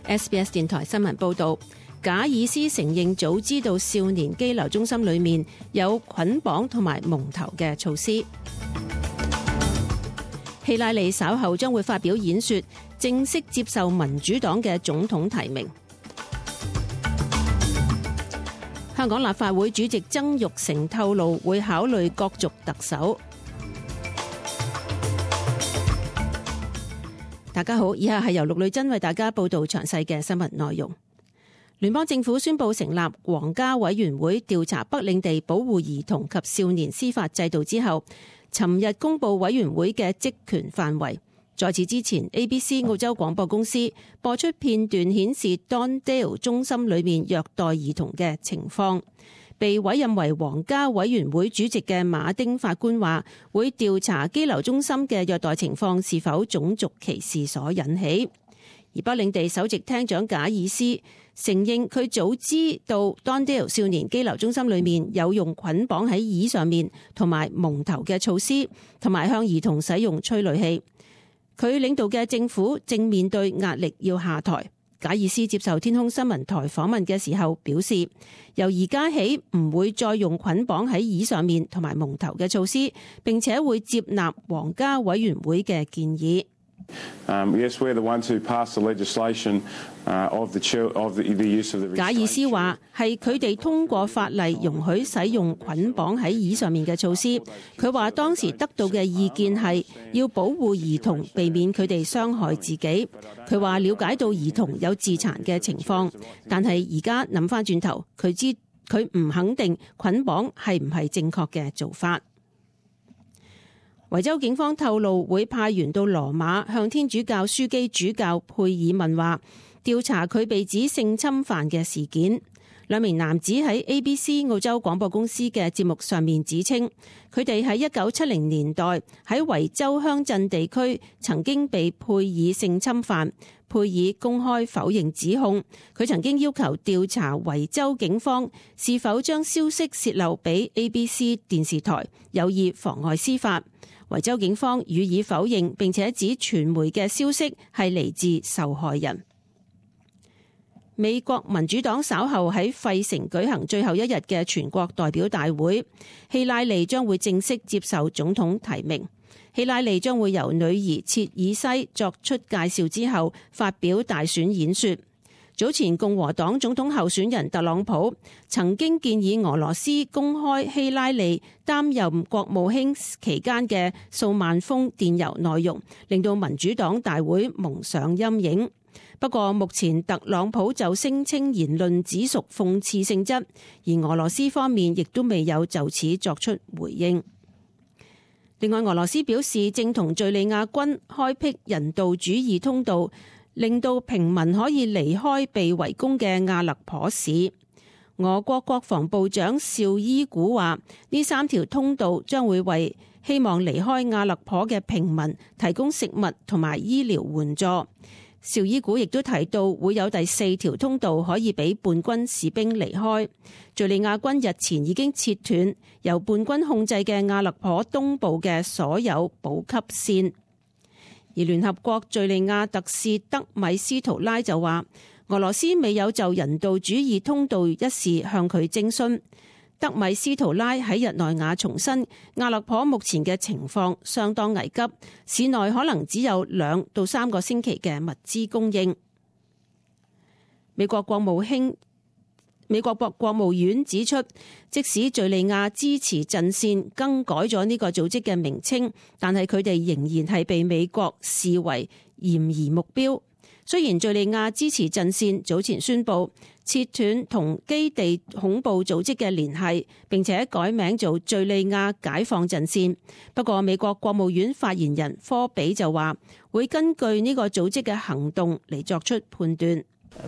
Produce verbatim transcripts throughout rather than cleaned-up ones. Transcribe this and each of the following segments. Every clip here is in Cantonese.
S B S 電台新聞報導，賈爾斯承認早知道少年羈留中心裏面有捆綁同埋蒙頭嘅措施。希拉里稍後將會發表演說，正式接受民主黨嘅總統提名。香港立法會主席曾鈺成透露會考慮角逐特首。大家好，以下係由陸女珍為大家報道詳細嘅新聞內容。聯邦政府宣布成立皇家委員會調查北領地保護兒童及少年司法制度之後，尋日公布委員會嘅職權範圍。在此之前 ，A B C 澳洲廣播公司播出片段顯示 Dondale 中心裏面虐待兒童嘅情況。被委任為皇家委員會主席嘅馬丁法官話，會調查羈留中心嘅虐待情況是否種族歧視所引起。而北領地首席廳長賈爾斯承認佢早知道 Dondale 少年羈留中心裏面有用捆綁喺椅上面同埋蒙頭嘅措施，同埋向兒童使用催淚氣。佢領導嘅政府正面對壓力要下台。賈爾斯接受天空新聞台訪問嘅時候表示，由而家起唔會再用捆綁喺椅上面同埋蒙頭嘅措施，並且會接納皇家委員會嘅建議。Um, yes, we're the ones who passed the legislation uh, of the, of the, the use of the. 賈爾斯話係佢哋通過法例容許使用捆綁喺椅上面嘅措施。佢話當時得到嘅意見係要保護兒童，避免佢哋傷害自己。佢話了解到兒童有自殘嘅情況，但係而家諗翻轉頭，佢知佢唔肯定捆綁係唔係正確嘅做法。維州警方透露會派員到羅馬向天主教樞機主教佩爾問話，調查佢被指性侵犯嘅事件。兩名男子喺 A B C 澳洲廣播公司嘅節目上面指稱，佢哋喺一九七零年代喺維州鄉鎮地區曾經被佩爾性侵犯。佩爾公開否認指控，佢曾經要求調查維州警方是否將消息洩漏俾 A B C 電視台，有意妨礙司法。維州警方予以否認，並且指傳媒嘅消息係嚟自受害人。美國民主黨稍後喺費城舉行最後一日嘅全國代表大會，希拉里將會正式接受總統提名。希拉里將會由女兒切爾西作出介紹之後發表大選演說。早前共和黨總統候選人特朗普曾經建議俄羅斯公開希拉里擔任國務卿期間嘅數萬封電郵內容，令到民主黨大會蒙上陰影。不過目前特朗普就聲稱言論只屬諷刺性質，而俄羅斯方面亦都未有就此作出回應。另外，俄羅斯表示正同敘利亞軍開闢人道主義通道，令到平民可以離開被圍攻嘅阿勒頗市。俄國國防部長紹伊古話，呢三條通道將會為希望離開阿勒頗嘅平民提供食物同埋醫療援助。紹伊古亦都提到會有第四條通道可以俾叛軍士兵離開。敘利亞軍日前已經切斷由叛軍控制嘅阿勒頗東部嘅所有補給線。而聯合國敘利亞特使德米斯圖拉就話，俄羅斯未有就人道主義通道一事向佢徵詢。德米斯圖拉喺日內瓦重申，阿勒頗目前嘅情況相當危急，市內可能只有兩到三個星期嘅物資供應。美國國務卿美國國國務院指出，即使敘利亞支持陣線更改咗呢個組織嘅名稱，但係佢哋仍然係被美國視為嫌疑目標。雖然敘利亞支持陣線早前宣布切斷同基地恐怖組織嘅聯繫，並且改名做敘利亞解放陣線，不過美國國務院發言人科比就話會根據呢個組織嘅行動嚟作出判斷。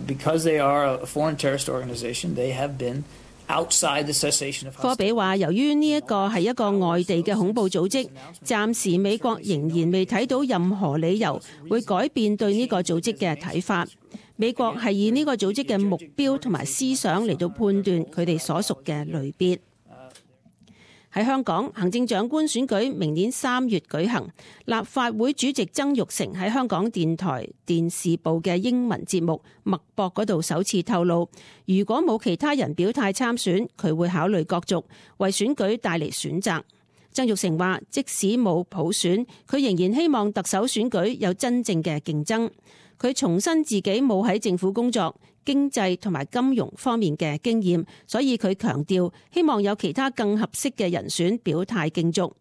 Because they are a foreign terrorist organization, they have been outside the cessation of hostility. 科比話，由於呢一個係一個外地嘅恐怖組織，暫時美國仍然未睇到任何理由會改變對呢個組織嘅睇法。美國係以呢個組織嘅目標同埋思想嚟到判斷佢哋所屬嘅類別。喺香港，行政長官選舉明年三月舉行。立法會主席曾鈺成喺香港電台電視部嘅英文節目《脈搏》嗰度首次透露，如果冇其他人表態參選，佢會考慮角逐，為選舉帶嚟選擇。曾鈺成話，即使冇普選，佢仍然希望特首選舉有真正嘅競爭。佢重申自己冇喺政府工作、經濟同埋金融方面嘅經驗，所以佢強調希望有其他更合適嘅人選表態競逐。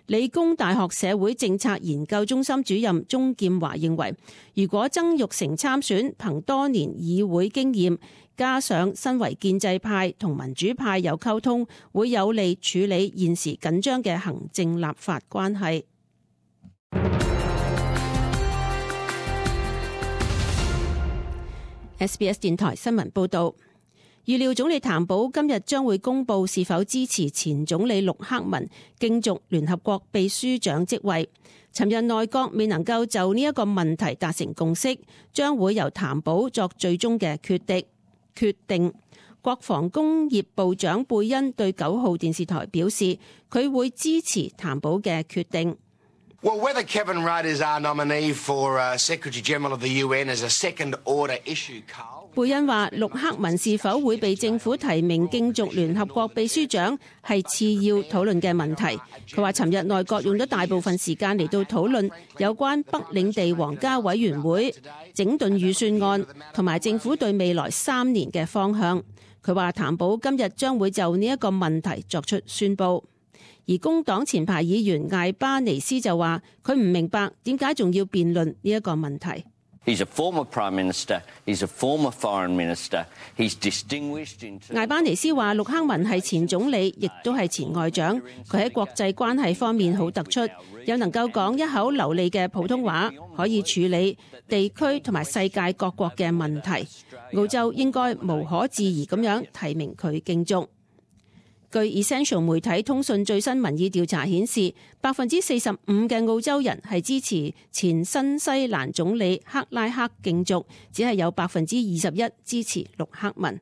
理工大學社會政策研究中心主任鍾劍華認為，如果曾鈺成參選，憑多年議會經驗，加上身為建制派同民主派有溝通，會有利處理現時緊張嘅行政立法關係。S B S 電台新聞報道，預料總理譚寶今日將會公布是否支持前總理陸克文競逐聯合國秘書長職位。尋日內閣未能夠就呢一個問題達成共識，將會由譚寶作最終嘅決定。決定。國防工業部長貝恩對九號電視台表示，佢會支持譚寶嘅決定。Well, whether Kevin Rudd is our nominee for uh, Secretary General of the U N is a second order issue, Carl. 貝恩話，陸克文是否會被政府提名競逐聯合國秘書長係次要討論嘅問題。佢話，尋日內閣用咗大部分時間嚟到討論有關北領地皇家委員會整頓預算案同埋政府對未來三年嘅方向。佢話，譚寶今日將會就呢一個問題作出宣佈。而工黨前排議員艾巴尼斯就話，佢唔明白點解仲要辯論呢一個問題。He's a former prime minister. He's a former foreign minister. He's distinguished in. 艾巴尼斯話，陸克文係前總理，亦都係前外長。佢喺國際關係方面好突出，又能夠講一口流利嘅普通話，可以處理地區同埋世界各國嘅問題。澳洲應該無可置疑咁樣提名佢競逐。據 Essential 媒體通訊最新民意調查顯示，百分之四十五嘅澳洲人係支持前新西蘭總理克拉克競逐，只係有百分之二十一支持陸克文。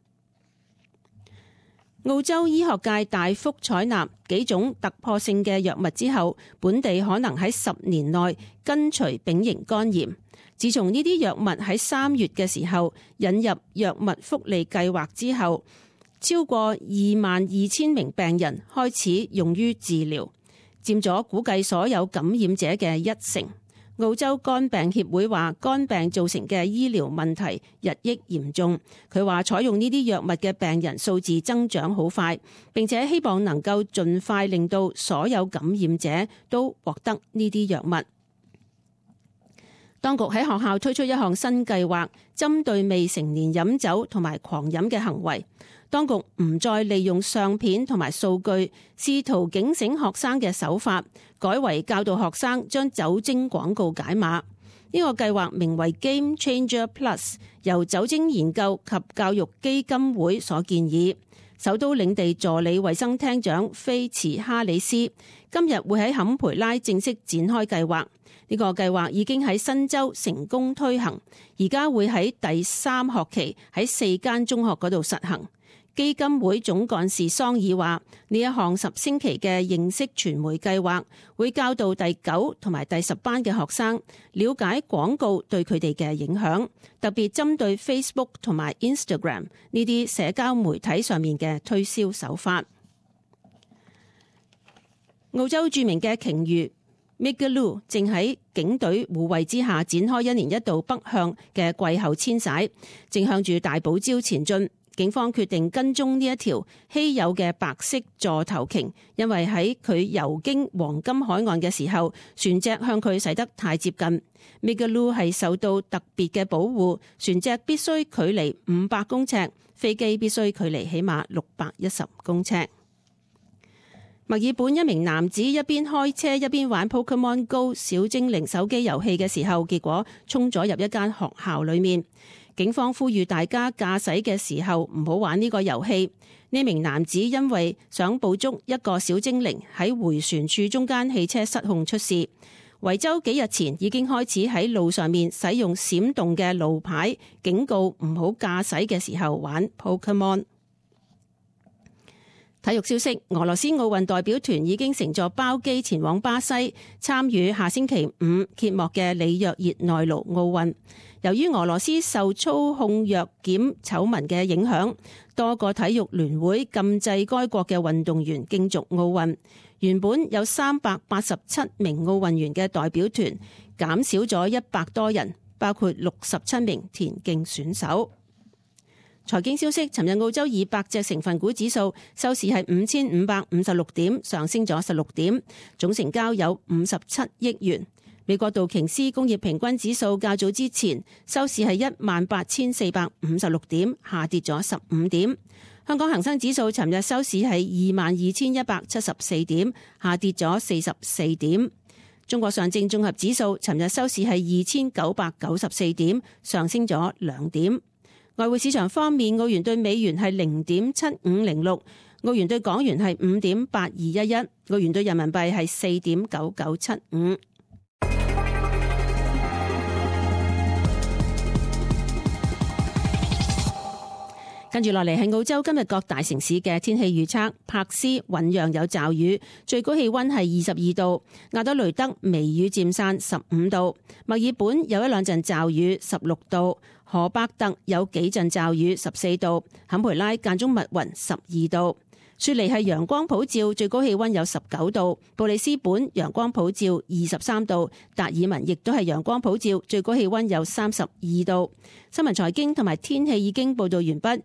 澳洲醫學界大幅採納幾種突破性嘅藥物之後，本地可能喺十年內根除丙型肝炎。自從呢啲藥物喺三月嘅時候引入藥物福利計劃之後，超過二萬二千名病人開始用於治療，佔咗估計所有感染者嘅一成。澳洲肝病協會話，肝病造成嘅醫療問題日益嚴重。佢話採用呢啲藥物嘅病人數字增長好快，並且希望能夠盡快令到所有感染者都獲得呢啲藥物。當局喺學校推出一項新計劃，針對未成年飲酒同埋狂飲嘅行為。當局唔再利用相片同埋數據試圖警醒學生嘅手法，改為教導學生將酒精廣告解碼。呢個計劃名為 Game Changer Plus， 由酒精研究及教育基金會所建議。首都領地助理衛生廳長菲茨哈里斯今日會喺坎培拉正式展開計劃。呢個計劃已經喺新州成功推行，而家會喺第三學期喺四間中學嗰度實行。基金會總幹事桑爾話：呢一項十星期嘅認識傳媒計劃，會教導第九同埋第十班嘅學生了解廣告對佢哋嘅影響，特別針對 Facebook 同埋 Instagram 呢啲社交媒體上面嘅推銷手法。澳洲著名嘅鯨魚 Migaloo 正喺警隊護衛之下展開一年一度北向嘅季候遷徙，正向住大堡礁前進。警方決定跟蹤呢一條稀有嘅白色座頭鯨，因為喺佢游經黃金海岸嘅時候，船隻向佢駛得太接近。Migaloo 係受到特別嘅保護，船隻必須距離五百公尺，飛機必須距離起碼六百一十公尺。墨爾本一名男子一邊開車一邊玩 Pokemon Go 小精靈手機遊戲嘅時候，結果衝咗入一間學校裏面。警方呼籲大家駕駛嘅時候唔好玩呢個遊戲。呢名男子因為想捕捉一個小精靈，喺迴旋處中間汽車失控出事。維州幾日前已經開始喺路上面使用閃動嘅路牌，警告唔好駕駛嘅時候玩 Pokemon。體育消息，俄羅斯奧運代表團已經乘坐包機前往巴西參與下星期五揭幕嘅里約熱內盧奧運。由於俄羅斯受操控藥檢醜聞嘅影響，多個體育聯會禁制該國嘅運動員競逐奧運。原本有三百八十七名奧運員嘅代表團減少咗一百多人，包括六十七名田徑選手。財經消息，尋日澳洲二百隻成分股指數收市係五千五百五十六點，上升咗十六點，總成交有五十七億元。美國道瓊斯工業平均指數較早之前收市係一萬八千四百五十六點，下跌咗十五點。香港恒生指數尋日收市係二萬二千一百七十四點，下跌咗四十四點。中國上證綜合指數尋日收市係二千九百九十四點，上升咗兩點。外匯市場方面，澳元對美元係零點七五零六，澳元對港元係五點八二一一，澳元對人民幣係四點九九七五。跟住落嚟係澳洲今日各大城市嘅天氣預測。柏斯醞釀有驟雨，最高氣溫係二十二度；亞德雷德微雨漸散，十五度；墨爾本有一兩陣驟雨，十六度；荷伯特有幾陣驟雨，十四度；坎培拉間中密雲，十二度；雪梨係陽光普照，最高氣溫有十九度；布里斯本陽光普照，二十三度；達爾文亦都係陽光普照，最高氣溫有三十二度。新聞財經同埋天氣已經報道完畢。